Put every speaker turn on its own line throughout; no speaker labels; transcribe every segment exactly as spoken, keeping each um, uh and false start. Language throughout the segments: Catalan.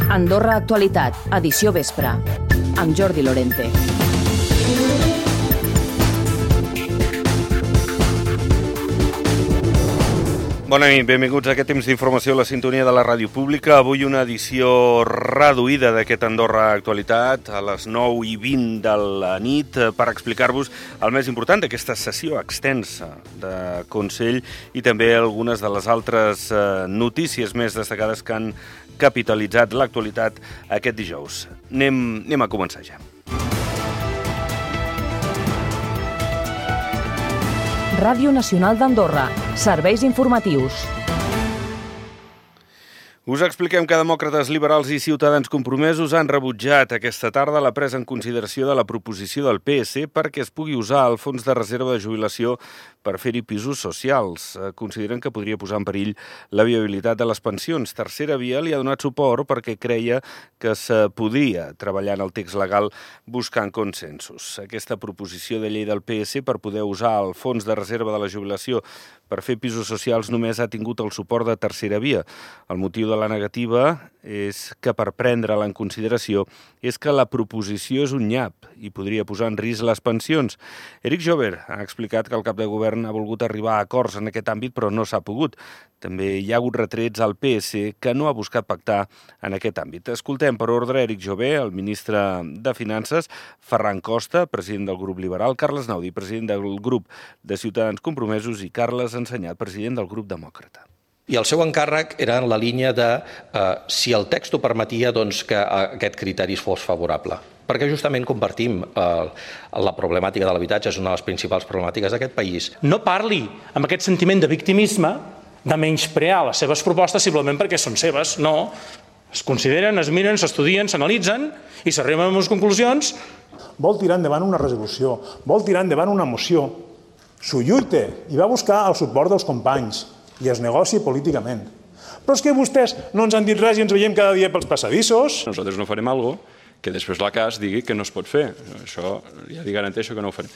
Andorra Actualitat, edició vespre, amb Jordi Lorente.
Bona nit, benvinguts a aquest temps d'informació a la sintonia de la ràdio pública. Avui una edició reduïda d'aquest Andorra Actualitat a les nou i vint de la nit per explicar-vos el més important d'aquesta sessió extensa de Consell i també algunes de les altres notícies més destacades que han capitalitzat l'actualitat aquest dijous. Anem, anem a començar ja.
Ràdio Nacional d'Andorra. Serveis informatius.
Us expliquem que demòcrates, liberals i ciutadans compromesos han rebutjat aquesta tarda la presa en consideració de la proposició del P S perquè es pugui usar el fons de reserva de jubilació per fer-hi pisos socials. Consideren que podria posar en perill la viabilitat de les pensions. Tercera Via li ha donat suport perquè creia que es podia treballar en el text legal buscant consensos. Aquesta proposició de llei del P S per poder usar el fons de reserva de la jubilació per fer pisos socials només ha tingut el suport de Tercera Via. El motiu de la negativa és que per prendre-la en consideració és que la proposició és un nyap i podria posar en risc les pensions. Eric Jover ha explicat que el cap de govern ha volgut arribar a acords en aquest àmbit però no s'ha pogut. També hi ha hagut retrets al P S que no ha buscat pactar en aquest àmbit. Escoltem per ordre Eric Jover, el ministre de Finances, Ferran Costa, president del grup liberal, Carles Naudi, president del grup de Ciutadans Compromesos i Carles Ensenyat, president del grup demòcrata.
I el seu encàrrec era en la línia de eh, si el text ho permetia, doncs, que aquest criteri fos favorable. Perquè justament compartim eh, la problemàtica de l'habitatge, és una de les principals problemàtiques d'aquest país.
No parli amb aquest sentiment de victimisme, de menysprear les seves propostes simplement perquè són seves. No, es consideren, es miren, s'estudien, s'analitzen i s'arriben a unes conclusions.
Vol tirar endavant una resolució, vol tirar endavant una moció, s'ho lluita i va buscar el suport dels companys i es negoci políticament. Però és que vostès no ens han dit res i ens veiem cada dia pels passadissos.
Nosaltres no farem alguna cosa que després la C A S digui que no es pot fer. Això ja li garanteixo que no ho farem.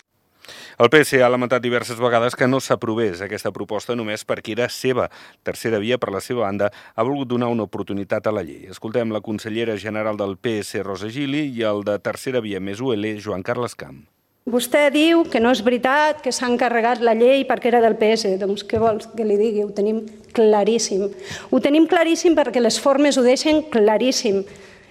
El P S ha lamentat diverses vegades que no s'aprovés aquesta proposta només perquè era seva. Tercera Via, per la seva banda, ha volgut donar una oportunitat a la llei. Escoltem la consellera general del P S, Rosa Gili, i el de Tercera Via més U L, Joan Carles Camp.
Vostè diu que no és veritat, que s'ha encarregat la llei perquè era del P S. Doncs què vols que li digui? Ho tenim claríssim. Ho tenim claríssim perquè les formes ho deixen claríssim.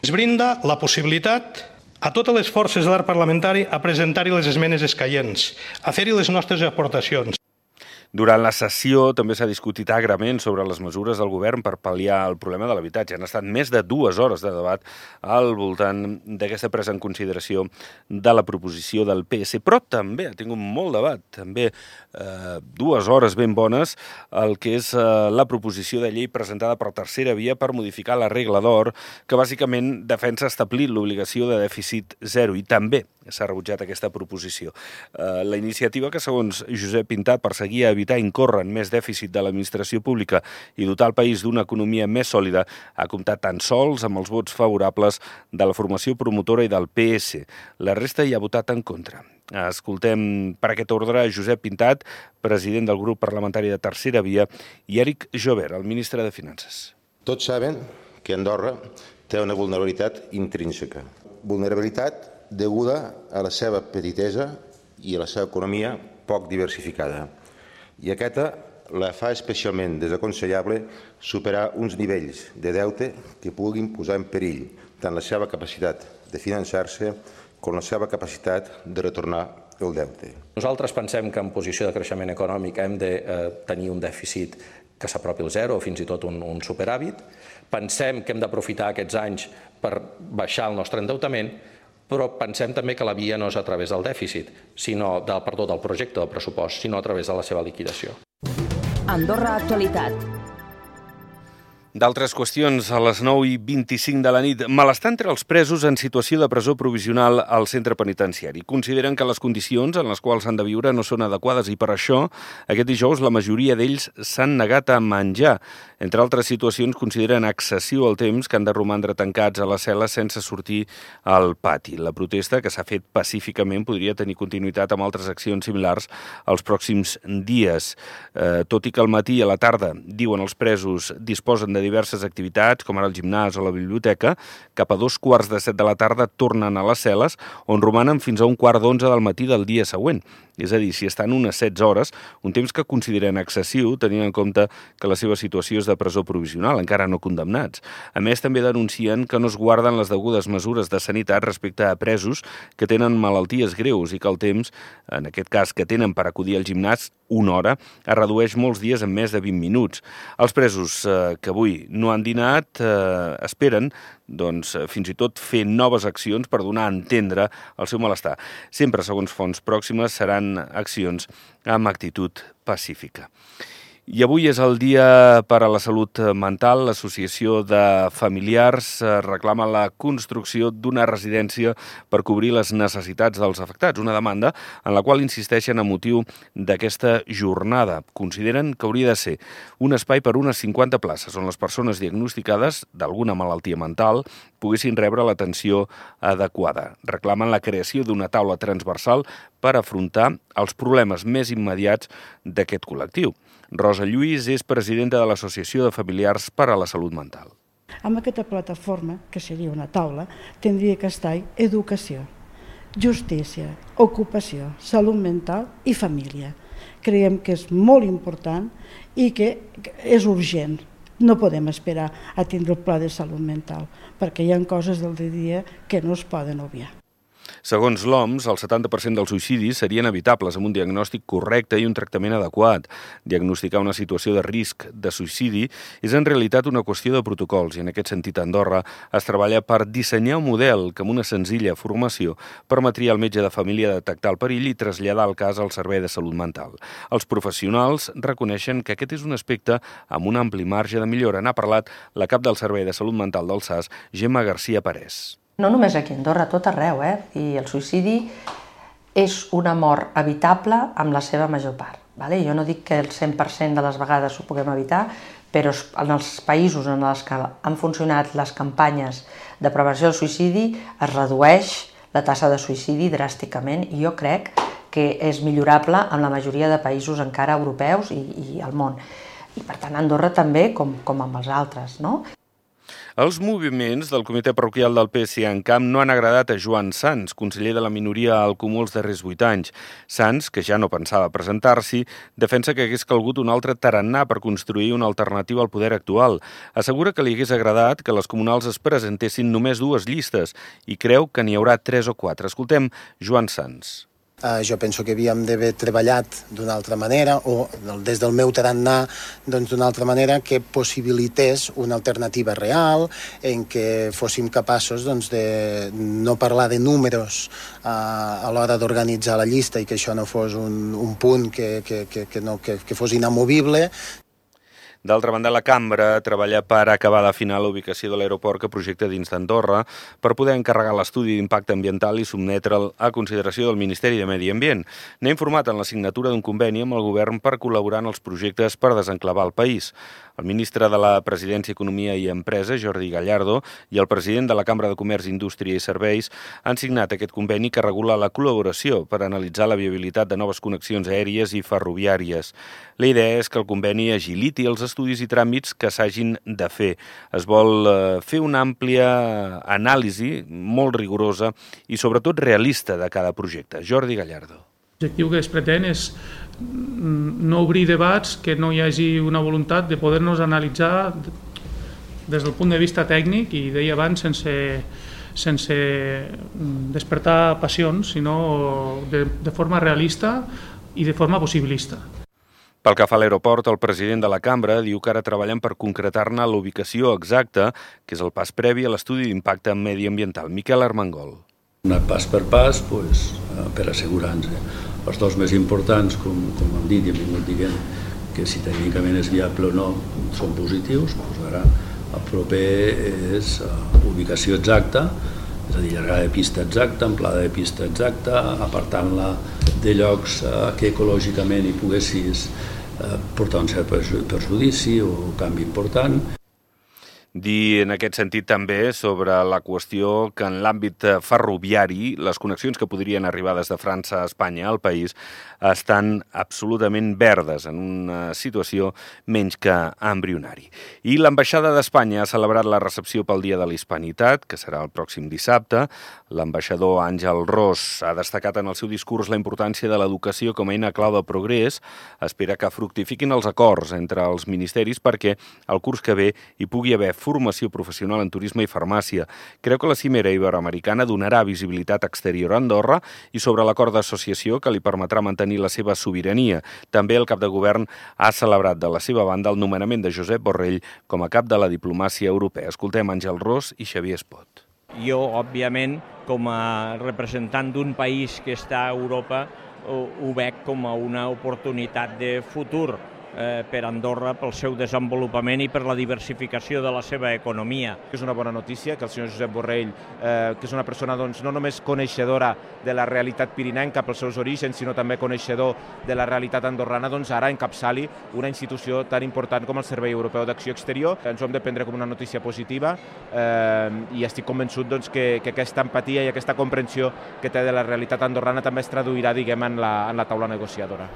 Es brinda la possibilitat a totes les forces de l'arc parlamentari a presentar-hi les esmenes escaients, a fer-hi les nostres aportacions.
Durant la sessió també s'ha discutit agrament sobre les mesures del govern per pal·liar el problema de l'habitatge. Han estat més de dues hores de debat al voltant d'aquesta presa en consideració de la proposició del P S. Però també ha tingut molt debat, també eh, dues hores ben bones, el que és eh, la proposició de llei presentada per Tercera Via per modificar la regla d'or, que bàsicament defensa establir l'obligació de dèficit zero i també s'ha rebutjat aquesta proposició. Eh, la iniciativa que, segons Josep Pintat, perseguia evitar incórrer en més dèficit de l'administració pública i dotar el país d'una economia més sòlida, ha comptat tan sols amb els vots favorables de la formació promotora i del P S. La resta hi ha votat en contra. Escoltem per aquest ordre Josep Pintat, president del grup parlamentari de Tercera Via, i Eric Jover, el ministre de Finances.
Tots saben que Andorra té una vulnerabilitat intrínseca. Vulnerabilitat deguda a la seva petitesa i a la seva economia poc diversificada. I aquesta la fa especialment desaconsellable superar uns nivells de deute que puguin posar en perill tant la seva capacitat de finançar-se com la seva capacitat de retornar el deute.
Nosaltres pensem que en posició de creixement econòmic hem de eh, tenir un dèficit que s'apropi al zero o fins i tot un, un superàvit. Pensem que hem d'aprofitar aquests anys per baixar el nostre endeutament, però pensem també que la via no és a través del dèficit, sinó del, perdó, del projecte del pressupost, sinó a través de la seva liquidació.
Andorra Actualitat.
D'altres qüestions, a les nou i vint-i-cinc de la nit. Malestar entre els presos en situació de presó provisional al centre penitenciari. Consideren que les condicions en les quals han de viure no són adequades i per això, aquest dijous, la majoria d'ells s'han negat a menjar. Entre altres situacions, consideren excessiu el temps que han de romandre tancats a les cel·les sense sortir al pati. La protesta, que s'ha fet pacíficament, podria tenir continuïtat amb altres accions similars els pròxims dies. Eh, tot i que al matí i a la tarda, diuen els presos, disposen de diverses activitats, com ara el gimnàs o la biblioteca, cap a dos quarts de set de la tarda tornen a les cel·les, on romanen fins a un quart d'onze del matí del dia següent. És a dir, si estan unes setze hores, un temps que consideren excessiu, tenint en compte que la seva situació és de presó provisional, encara no condemnats. A més, també denuncien que no es guarden les degudes mesures de sanitat respecte a presos que tenen malalties greus i que el temps, en aquest cas que tenen per acudir al gimnàs, una hora, es redueix molts dies en més de vint minuts. Els presos eh, que avui no han dinat eh, esperen doncs, fins i tot fer noves accions per donar a entendre el seu malestar. Sempre, segons fonts pròximes, seran accions amb actitud pacífica. I avui és el Dia per a la Salut Mental. L'Associació de Familiars reclama la construcció d'una residència per cobrir les necessitats dels afectats, una demanda en la qual insisteixen a motiu d'aquesta jornada. Consideren que hauria de ser un espai per unes cinquanta places on les persones diagnosticades d'alguna malaltia mental poguessin rebre l'atenció adequada. Reclamen la creació d'una taula transversal per afrontar els problemes més immediats d'aquest col·lectiu. Rosa Lluís és presidenta de l'Associació de Familiars per a la Salut Mental.
Amb aquesta plataforma, que seria una taula, tindria que estar educació, justícia, ocupació, salut mental i família. Creiem que és molt important i que és urgent. No podem esperar a tindre el pla de salut mental, perquè hi ha coses del dia a dia que no es poden obviar.
Segons l'O M S, el setanta per cent dels suïcidis serien evitables amb un diagnòstic correcte i un tractament adequat. Diagnosticar una situació de risc de suïcidi és en realitat una qüestió de protocols i en aquest sentit a Andorra es treballa per dissenyar un model que amb una senzilla formació permetria al metge de família detectar el perill i traslladar el cas al Servei de Salut Mental. Els professionals reconeixen que aquest és un aspecte amb un ampli marge de millora. N'ha parlat la cap del Servei de Salut Mental del S A S, Gemma García Parés.
No només aquí a Andorra, tot arreu, eh? I el suïcidi és una mort evitable amb la seva major part. Vale? Jo no dic que el cent per cent de les vegades ho puguem evitar, però en els països en els que han funcionat les campanyes de prevenció del suïcidi es redueix la tassa de suïcidi dràsticament i jo crec que és millorable en la majoria de països encara europeus i, i al món. I per tant a Andorra també, com, com amb els altres, no?
Els moviments del comitè parroquial del P S C en Camp no han agradat a Joan Sans, conseller de la minoria al Comú els darrers vuit anys. Sans, que ja no pensava presentar-s'hi, defensa que hagués calgut un altre tarannà per construir una alternativa al poder actual. Assegura que li hagués agradat que les comunals es presentessin només dues llistes i creu que n'hi haurà tres o quatre. Escoltem Joan Sans.
Uh, jo penso que havíem d'haver treballat d'una altra manera o des del meu tarannà doncs, d'una altra manera que possibilités una alternativa real en què fóssim capaços doncs, de no parlar de números uh, a l'hora d'organitzar la llista i que això no fos un, un punt que, que, que, que, no, que, que fos inamovible.
D'altra banda, la cambra treballa per acabar d'afinar la ubicació de l'aeroport que projecta dins d'Andorra per poder encarregar l'estudi d'impacte ambiental i sotmetre'l a consideració del Ministeri de Medi Ambient. N'ha informat en la signatura d'un conveni amb el govern per col·laborar en els projectes per desenclavar el país. El ministre de la Presidència, Economia i Empresa, Jordi Gallardo, i el president de la Cambra de Comerç, Indústria i Serveis han signat aquest conveni que regula la col·laboració per analitzar la viabilitat de noves connexions aèries i ferroviàries. La idea és que el conveni agiliti els estudis i tràmits que s'hagin de fer. Es vol fer una àmplia anàlisi molt rigorosa i sobretot realista de cada projecte. Jordi Gallardo.
L'objectiu que es pretén és no obrir debats, que no hi hagi una voluntat de poder-nos analitzar des del punt de vista tècnic i deia abans sense, sense despertar passions, sinó de, de forma realista i de forma possibilista.
Pel que fa a l'aeroport, el president de la cambra diu que ara treballen per concretar-ne l'ubicació exacta, que és el pas previ a l'estudi d'impacte mediambiental. Miquel Armengol.
Anat pas per pas pues, per assegurar-nos. Els dos més importants, com, com hem dit i hem vingut dient, que si tècnicament és viable o no són positius, doncs ara el proper és uh, ubicació exacta, és a dir, llargada de pista exacta, amplada de pista exacta, apartant-la de llocs uh, que ecològicament hi poguessis portar un cert perjudici o canvi important.
Dir en aquest sentit també sobre la qüestió que en l'àmbit ferroviari les connexions que podrien arribar des de França a Espanya al país estan absolutament verdes, en una situació menys que embrionari. I l'ambaixada d'Espanya ha celebrat la recepció pel Dia de la Hispanitat, que serà el pròxim dissabte. L'ambaixador Àngel Ros ha destacat en el seu discurs la importància de l'educació com a eina clau de progrés. Espera que fructifiquin els acords entre els ministeris perquè el curs que ve hi pugui haver formació professional en turisme i farmàcia. Creu que la cimera iberoamericana donarà visibilitat exterior a Andorra i sobre l'acord d'associació que li permetrà mantenir la seva sobirania. També el cap de govern ha celebrat de la seva banda el nomenament de Josep Borrell com a cap de la diplomàcia europea. Escoltem Àngel Ros i Xavier Espot.
Jo, òbviament, com a representant d'un país que està a Europa, ho veig com a una oportunitat de futur per Andorra, pel seu desenvolupament i per la diversificació de la seva economia.
És una bona notícia que el senyor Josep Borrell, que és una persona no només coneixedora de la realitat pirinenca pels seus orígens, sinó també coneixedor de la realitat andorrana, doncs ara encapçali una institució tan important com el Servei Europeu d'Acció Exterior. Ens ho hem de prendre com una notícia positiva i estic convençut que aquesta empatia i aquesta comprensió que té de la realitat andorrana també es traduirà, diguem, en la taula negociadora.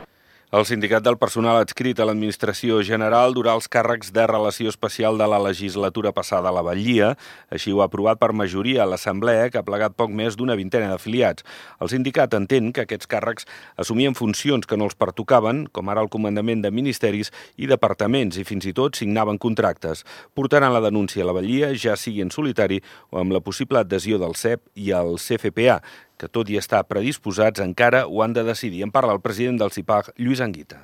El sindicat del personal adscrit a l'Administració General durà els càrrecs de relació especial de la legislatura passada a la Batllia. Així ho ha aprovat per majoria a l'Assemblea, que ha plegat poc més d'una vintena d'afiliats. El sindicat entén que aquests càrrecs assumien funcions que no els pertocaven, com ara el comandament de ministeris i departaments, i fins i tot signaven contractes. Portaran la denúncia a la Batllia, ja sigui en solitari o amb la possible adhesió del C E P i el C F P A, que tot i estar predisposats encara ho han de decidir. En parla el president del CIPAG, Lluís Anguita.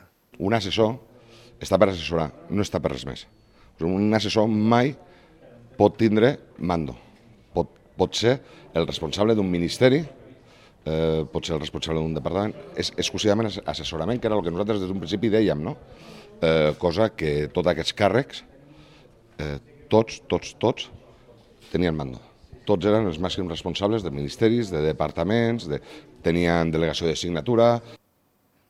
Un assessor està per assessorar, no està per res més. Un assessor mai pot tindre mando. Pot, pot ser el responsable d'un ministeri, eh, pot ser el responsable d'un departament, és exclusivament assessorament, que era el que nosaltres des d'un principi dèiem, no? Eh, cosa que tots aquests càrrecs, eh, tots, tots, tots, tenien mando. Tots eren els màxims responsables de ministeris, de departaments, de... tenien delegació de signatura.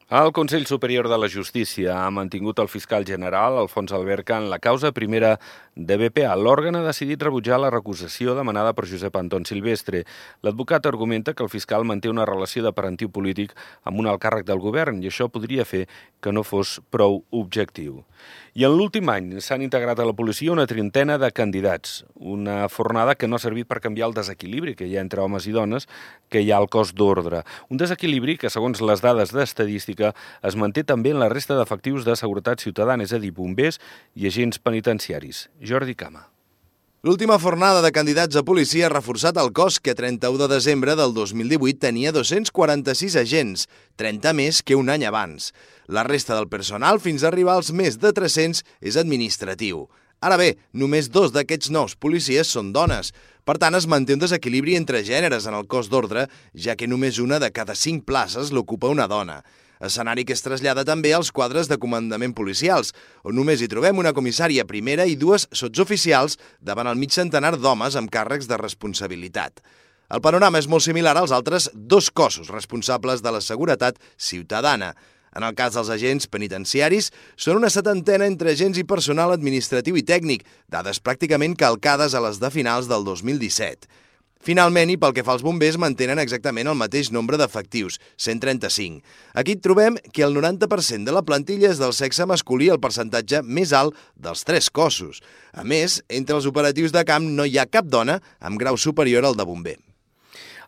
El Consell Superior de la Justícia ha mantingut el fiscal general, Alfons Alberca, en la causa primera de B P A. L'òrgan ha decidit rebutjar la recusació demanada per Josep Anton Silvestre. L'advocat argumenta que el fiscal manté una relació de parentiu polític amb un alt càrrec del govern i això podria fer que no fos prou objectiu. I en l'últim any s'han integrat a la policia una trentena de candidats, una fornada que no ha servit per canviar el desequilibri que hi ha entre homes i dones que hi ha al cos d'ordre. Un desequilibri que, segons les dades d'estadística, es manté també en la resta d'efectius de seguretat ciutadana, és a dir, bombers i agents penitenciaris. Jordi Cama.
L'última fornada de candidats a policia ha reforçat el cos, que a trenta-u de desembre del dos mil divuit tenia dos-cents quaranta-sis agents, trenta més que un any abans. La resta del personal, fins a arribar als més de tres-cents, és administratiu. Ara bé, només dos d'aquests nous policies són dones. Per tant, es manté un desequilibri entre gèneres en el cos d'ordre, ja que només una de cada cinc places l'ocupa una dona. Escenari que es trasllada també als quadres de comandament policials, on només hi trobem una comissària primera i dues sotsoficials davant el mig centenar d'homes amb càrrecs de responsabilitat. El panorama és molt similar als altres dos cossos responsables de la seguretat ciutadana. En el cas dels agents penitenciaris, són una setantena entre agents i personal administratiu i tècnic, dades pràcticament calcades a les de finals del dos mil disset. Finalment, i pel que fa als bombers, mantenen exactament el mateix nombre d'efectius, cent trenta-cinc. Aquí trobem que el noranta per cent de la plantilla és del sexe masculí, el percentatge més alt dels tres cossos. A més, entre els operatius de camp no hi ha cap dona amb grau superior al de bomber.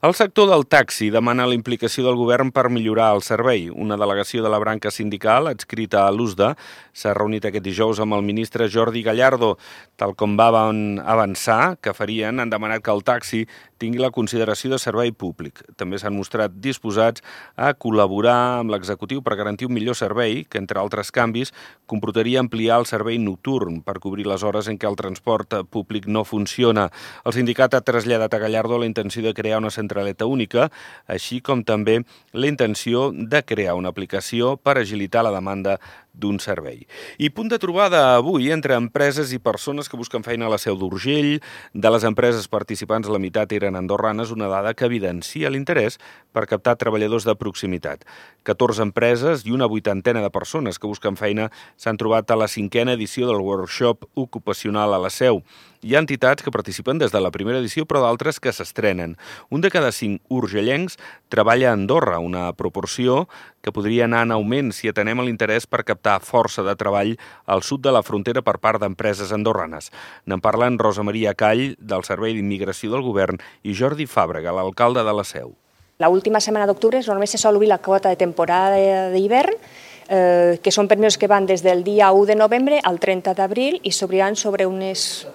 El sector del taxi demana la implicació del govern per millorar el servei. Una delegació de la branca sindical, adscrita a l'U S D A, s'ha reunit aquest dijous amb el ministre Jordi Gallardo. Tal com van avançar que farien, han demanat que el taxi tingui la consideració de servei públic. També s'han mostrat disposats a col·laborar amb l'executiu per garantir un millor servei, que, entre altres canvis, comportaria ampliar el servei nocturn per cobrir les hores en què el transport públic no funciona. El sindicat ha traslladat a Gallardo la intenció de crear una centraleta única, així com també la intenció de crear una aplicació per agilitar la demanda d'un servei. I punt de trobada avui entre empreses i persones que busquen feina a la Seu d'Urgell. De les empreses participants, la meitat eren andorranes, una dada que evidencia l'interès per captar treballadors de proximitat. catorze empreses i una vuitantena de persones que busquen feina s'han trobat a la cinquena edició del workshop ocupacional a la Seu. Hi ha entitats que participen des de la primera edició, però d'altres que s'estrenen. Un de cada cinc urgellencs treballa a Andorra, una proporció que podria anar en augment si atenem a l'interès per captar força de treball al sud de la frontera per part d'empreses andorranes. N'en parlen Rosa Maria Call, del Servei d'Immigració del Govern, i Jordi Fàbrega, l'alcalde de la Seu.
La última setmana d'octubre normalment se sol obrir la quota de temporada d'hivern, eh, que són permisos que van des del dia u de novembre al trenta d'abril i s'obriran sobre unes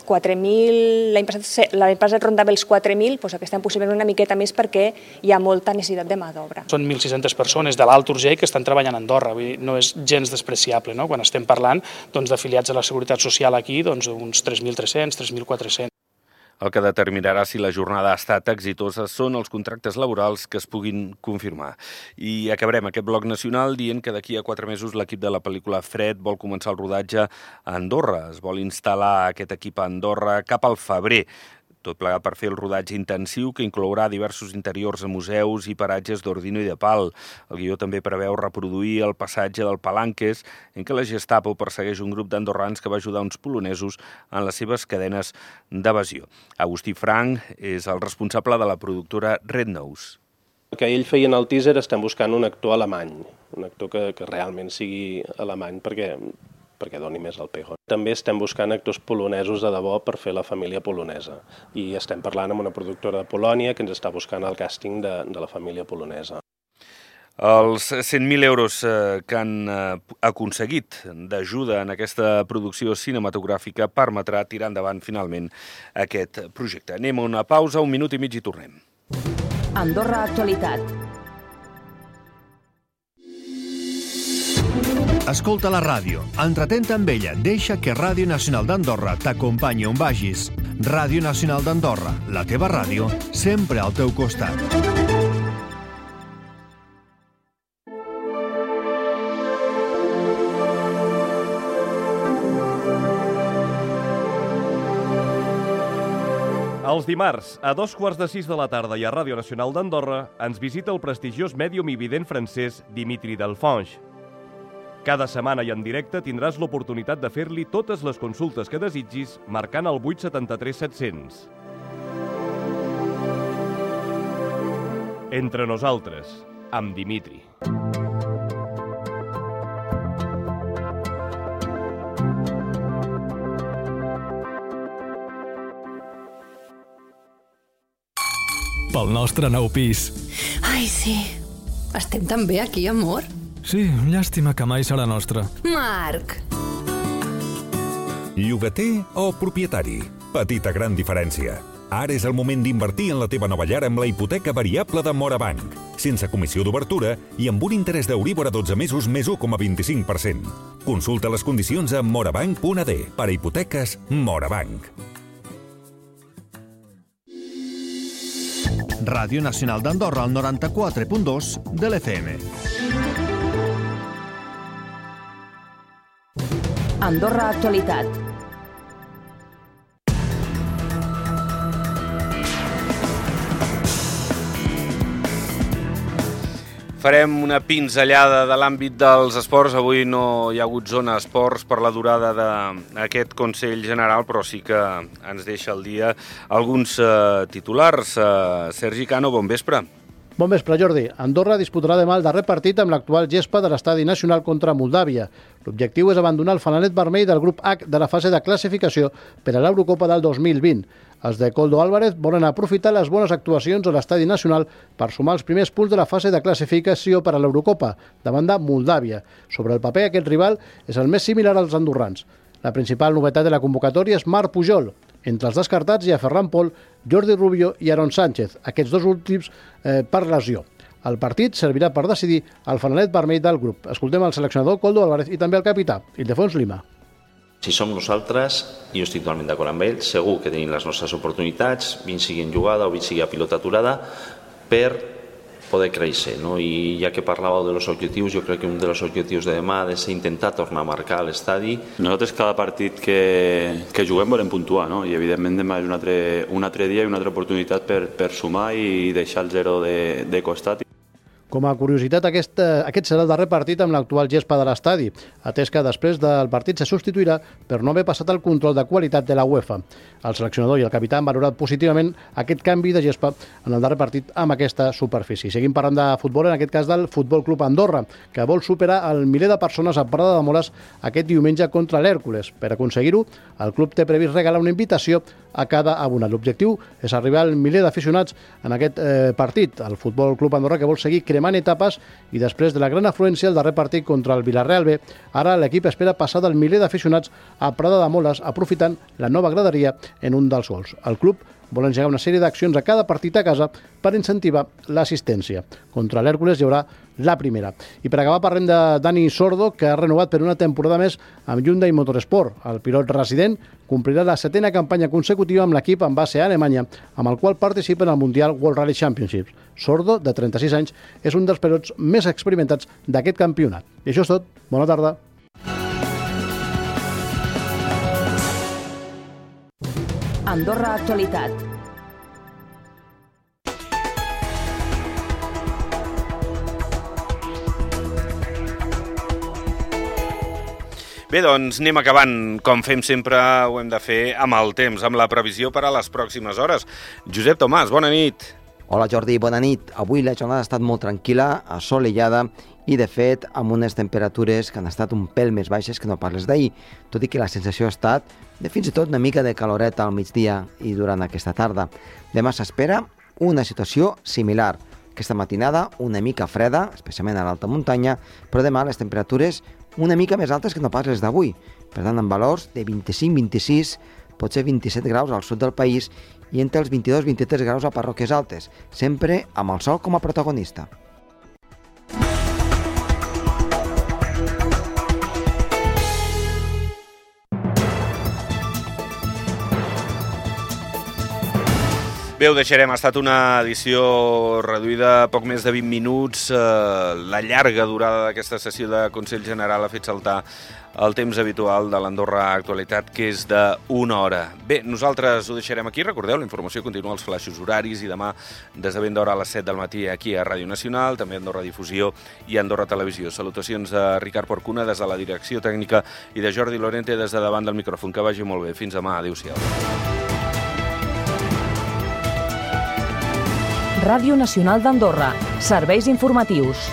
quatre mil, l'any passat, l'any passat rondava els quatre mil, doncs aquest any possiblement una miqueta més perquè hi ha molta necessitat de mà d'obra.
Són mil sis-centes persones de l'Alt Urgell que estan treballant a Andorra, vull dir, no és gens despreciable, no? Quan estem parlant doncs, d'afiliats a la Seguretat Social aquí, doncs, uns tres mil tres-cents, tres mil quatre-cents.
El que determinarà si la jornada ha estat exitosa són els contractes laborals que es puguin confirmar. I acabarem aquest bloc nacional dient que d'aquí a quatre mesos l'equip de la pel·lícula Fred vol començar el rodatge a Andorra. Es vol instal·lar aquest equip a Andorra cap al febrer. Tot plegat per fer el rodatge intensiu que inclourà diversos interiors a museus i paratges d'Ordino i de Pal. El guió també preveu reproduir el passatge del Palanques, en què la Gestapo persegueix un grup d'andorrans que va ajudar uns polonesos en les seves cadenes d'evasió. Agustí Frank és el responsable de la productora Red Nose.
El que ell feia en el teaser, estem buscant un actor alemany, un actor que, que realment sigui alemany, perquè perquè doni més el pego. També estem buscant actors polonesos de debò per fer la família polonesa. I estem parlant amb una productora de Polònia que ens està buscant el càsting de, de la família polonesa.
Els cent mil euros que han aconseguit d'ajuda en aquesta producció cinematogràfica permetrà tirar endavant finalment aquest projecte. Anem a una pausa, un minut i mig i tornem.
Andorra Actualitat.
Escolta la ràdio, entretén amb ella, deixa que Ràdio Nacional d'Andorra t'acompanyi on vagis. Ràdio Nacional d'Andorra, la teva ràdio, sempre al teu costat.
Els dimarts, a dos quarts de sis de la tarda i a Ràdio Nacional d'Andorra, ens visita el prestigiós mèdium i vident francès Dimitri Delfonge. Cada setmana i en directe tindràs l'oportunitat de fer-li totes les consultes que desitgis marcant el vuit setanta tres set-cents. Entre nosaltres, amb Dimitri.
Pel nostre nou pis.
Ai, sí. Estem tan bé aquí, amor.
Sí, llàstima que mai serà nostre.
Marc!
Llogater o propietari? Petita gran diferència. Ara és el moment d'invertir en la teva nova llar amb la hipoteca variable de Morabanc, sense comissió d'obertura i amb un interès d'Euríbor a dotze mesos més u coma vint-i-cinc per cent. Consulta les condicions a morabanc punt a d. Per a hipoteques, Morabanc.
Ràdio Nacional d'Andorra, al noranta-quatre punt dos de l'F M.
Andorra Actualitat.
Farem una pinzellada de l'àmbit dels esports. Avui no hi ha hagut zona esports per la durada d'aquest Consell General, però sí que ens deixa al dia alguns eh, titulars. Eh, Sergi Cano, bon vespre.
Bon vespre, Jordi. Andorra disputarà demà el darrer partit amb l'actual gespa de l'Estadi Nacional contra Moldàvia. L'objectiu és abandonar el fanalet vermell del grup H de la fase de classificació per a l'Eurocopa del dos mil vint. Els de Koldo Álvarez volen aprofitar les bones actuacions a l'Estadi Nacional per sumar els primers punts de la fase de classificació per a l'Eurocopa, davant de Moldàvia. Sobre el paper, aquest rival és el més similar als andorrans. La principal novetat de la convocatòria és Marc Pujol. Entre els descartats hi ha Ferran Pol, Jordi Rubio i Aaron Sánchez, aquests dos últims eh, per lesió. El partit servirà per decidir el fanalet vermell del grup. Escoltem el seleccionador Koldo Álvarez i també el capità, Ildefons Lima.
Si som nosaltres, jo estic totalment d'acord amb ell, segur que tenim les nostres oportunitats, vint sigui en jugada o vint sigui a pilota aturada, per poder créixer, no? I ja que parlàveu de los objectius, jo crec que un dels objectius de demà ha de ser intentar tornar a marcar a l'estadi.
Nosaltres cada partit que, que juguem volem puntuar, no? I evidentment demà és un altre, un altre dia i una altra oportunitat per, per sumar i deixar el zero de, de costat.
Com a curiositat, aquest, aquest serà el darrer partit amb l'actual gespa de l'estadi, atès que després del partit se substituirà per no haver passat el control de qualitat de la UEFA. El seleccionador i el capità han valorat positivament aquest canvi de gespa en el darrer partit amb aquesta superfície. Seguim parlant de futbol, en aquest cas del Futbol Club Andorra, que vol superar el miler de persones a Prada de Moles aquest diumenge contra l'Hèrcules. Per aconseguir-ho, el club té previst regalar una invitació a cada abonat. L'objectiu és arribar al miler d'aficionats en aquest eh, partit. El Futbol Club Andorra, que vol seguir cremant etapes, i després de la gran afluència el darrer partit contra el Villarreal B, ara l'equip espera passar del miler d'aficionats a Prada de Moles, aprofitant la nova graderia en un dels gols. El club vol engegar una sèrie d'accions a cada partit a casa per incentivar l'assistència. Contra l'Hèrcules hi haurà la primera. I per acabar parlem de Dani Sordo, que ha renovat per una temporada més amb Hyundai Motorsport. El pilot resident complirà la setena campanya consecutiva amb l'equip en base a Alemanya, amb el qual participa en el Mundial World Rally Championships. Sordo, de trenta-sis anys, és un dels pilots més experimentats d'aquest campionat. I això és tot. Bona tarda.
Andorra Actualitat.
Bé, doncs anem acabant. Com fem sempre, ho hem de fer amb el temps, amb la previsió per a les pròximes hores. Josep Tomàs, bona nit.
Hola Jordi, bona nit. Avui la jornada ha estat molt tranquil·la, assolellada i, de fet, amb unes temperatures que han estat un pèl més baixes que no parles d'ahir, tot i que la sensació ha estat de fins i tot una mica de caloreta al migdia i durant aquesta tarda. Demà s'espera una situació similar. Aquesta matinada una mica freda, especialment a l'alta muntanya, però demà les temperatures una mica més altes que no pas les d'avui. Per tant, amb valors de vint-i-cinc vint-i-sis, potser vint-i-set graus al sud del país i entre els vint-i-dos vint-i-tres graus a parròquies altes, sempre amb el sol com a protagonista.
Bé, ho deixarem. Ha estat una edició reduïda a poc més de vint minuts. La llarga durada d'aquesta sessió de Consell General ha fet saltar el temps habitual de l'Andorra Actualitat, que és d'una hora. Bé, nosaltres ho deixarem aquí. Recordeu, la informació continua als flaixos horaris i demà des de ben d'hora a les set del matí aquí a Ràdio Nacional, també a Andorra Difusió i a Andorra Televisió. Salutacions de Ricard Porcuna des de la direcció tècnica i de Jordi Lorente des de davant del micròfon. Que vagi molt bé. Fins demà. Adéu-siau.
Ràdio Nacional d'Andorra. Serveis informatius.